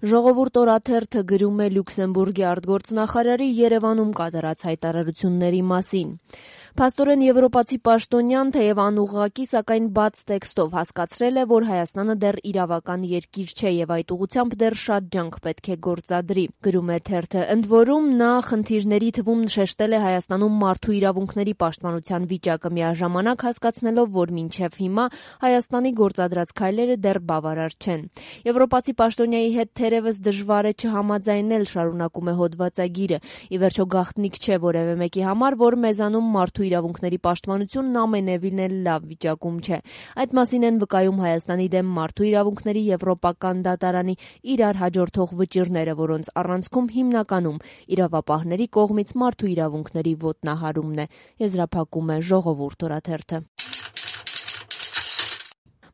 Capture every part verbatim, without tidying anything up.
Ժողովուրդ օրաթերթը գրում է Լյուքսեմբուրգի արտգործնախարարի Երևանում կատարած հայտարարությունների մասին։ Փաստորեն եվրոպացի պաշտոնյան, թեև անուղղակի, սակայն բաց տեքստով հասկացրել է, որ Հայաստանը դեռ իրավական երկիր չէ եւ այդ ուղղությամբ դեռ շատ ջանք պետք է գործադրի, գրում է թերթը։ Ընդ որում նա խնդիրների թվում շեշտել է Հայաստանում մարդու իրավունքների պաշտպանության վիճակը, միաժամանակ հասկացնելով, որ մինչև հիմա Հայաստանի գործադրած քայլերը դեռ բավարար չեն։ Եվրոպացի պաշտոնյայի հետ թերևս դժվար է չհամաձայնել, շարունակում է հոդվածագիրը։ Ի վերջո գաղտնիք չէ որևէ մեկի համար, որ մեզանում մարդու իրավունքների պաշտպանությունն ամենևին էլ լավ վիճակում չէ։ Այդ մասին են վկայում Հայաստանի դեմ մարդու իրավունքների եվրոպական դատարանի իրար հաջորդող վճիռները, որոնց առանցքում հիմնականում իրավապահների կողմից մարդու իրավունքների ոտնահարումն է, եզրափակում է Ժողովուրդ օրաթերթը։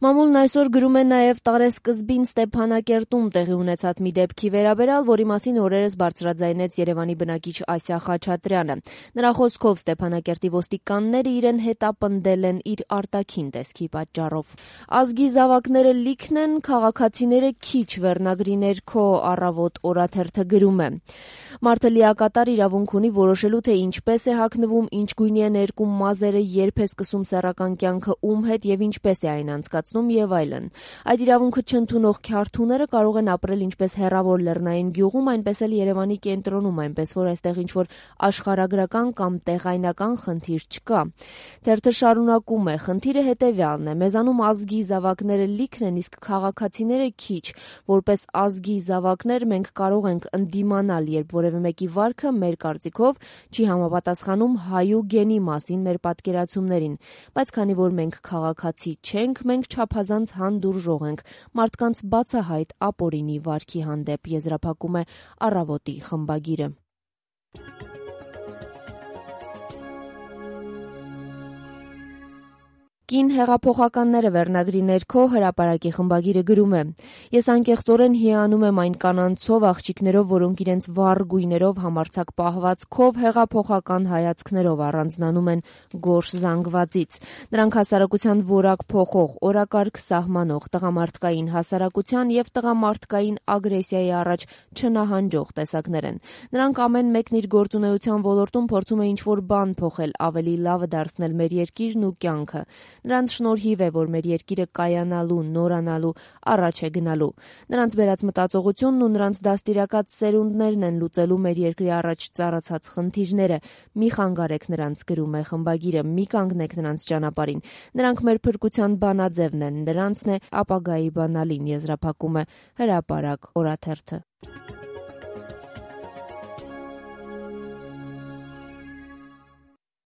Մամուլն այսօր գրում է նաև տարեսկզբին Ստեփանակերտում տեղի ունեցած մի դեպքի վերաբերյալ, որի մասին օրերս բարձրաձայնեց Երևանի բնակիչ Ասիա Խաչատրյանը։ Նրա խոսքով Ստեփանակերտի ոստիկանները իրեն հետապնդել են իր արտաքին տեսքի պատճառով։ Ազգի զավակները լիքն են, քաղաքացիները քիչ, վերնագրի ներքո Առավոտ օրաթերթը գրում է։ Մարդը լիակատար իրավունք ունի որոշելու, թե ինչպես է հագնվում, ինչ գույնի է ներկում մազերը, երբ է սկսում սեռական կյանքը ում հետ եւ ինչպես է այն անցկացնում եւ այլն։ Այդ իրավունքը չընդունող քյարթուները կարող են ապրել ինչպես հեռավոր լեռնային գյուղում, այնպես էլ Երևանի կենտրոնում, այնպես որ այստեղ ինչ-որ աշխարհագրական կամ տեղայնական խնդիր չկա։ Թերթը շարունակում է. խնդիրը հետեւյալն է. մեզանում ազգի զավակները լիքն են, իսկ քաղաքացիները քիչ։ Որպես ազգի զավակներ մենք կարող ենք ընդդիմանալ, երբ որևէ մեկի վարքը մեր կարծիքով չի համապատասխանում հայու գենի մասին մեր պատկերացումներին, բայց քանի որ մենք քաղաքացի չենք, մենք չափազանց հանդուրժող ենք մարդկանց բացահայտ ապօրինի վարքի հանդեպ, եզրափակում է Առավոտի խմբագիրը։ Կին հեղափոխականները վերնագրի ներքո հրապարակի խմբագիրը գրում է. Ես անկեղծորեն հիանում եմ այն կանանցով, աղջիկներով, որոնք իրենց վառ գույներով, համարձակ պահվածքով, հեղափոխական հայացքներով առանձնանում են գորշ զանգվածից։ Նրանք հասարակության որակ փոխող, օրակարգ սահմանող, տղամարդկային հասարակության եւ տղամարդկային ագրեսիայի առաջ չնահանջող տեսակներ են։ Նրանք ամեն մեկն իր գործունեության ոլորտում փորձում է ինչ-որ բան փոխել, ավելի լավը դարձնել մեր երկիրն ու կյանքը։ Նրանց շնորհիվ է, որ մեր երկիրը կայանալու, նորանալու, առաջ է գնալու։ Նրանց բերած մտածողությունն ու նրանց դաստիարակած սերունդներն են լուծելու մեր երկրի առաջ ծառացած խնդիրները։ Մի խանգարեք նրանց, գրում է խմբագիրը, մի կանգնեք նրանց ճանապարհին։ Նրանք մեր փրկության բանաձևն են, նրանցն է ապագայի բանալին, եզրափակում է Հրապարակ օրաթերթը։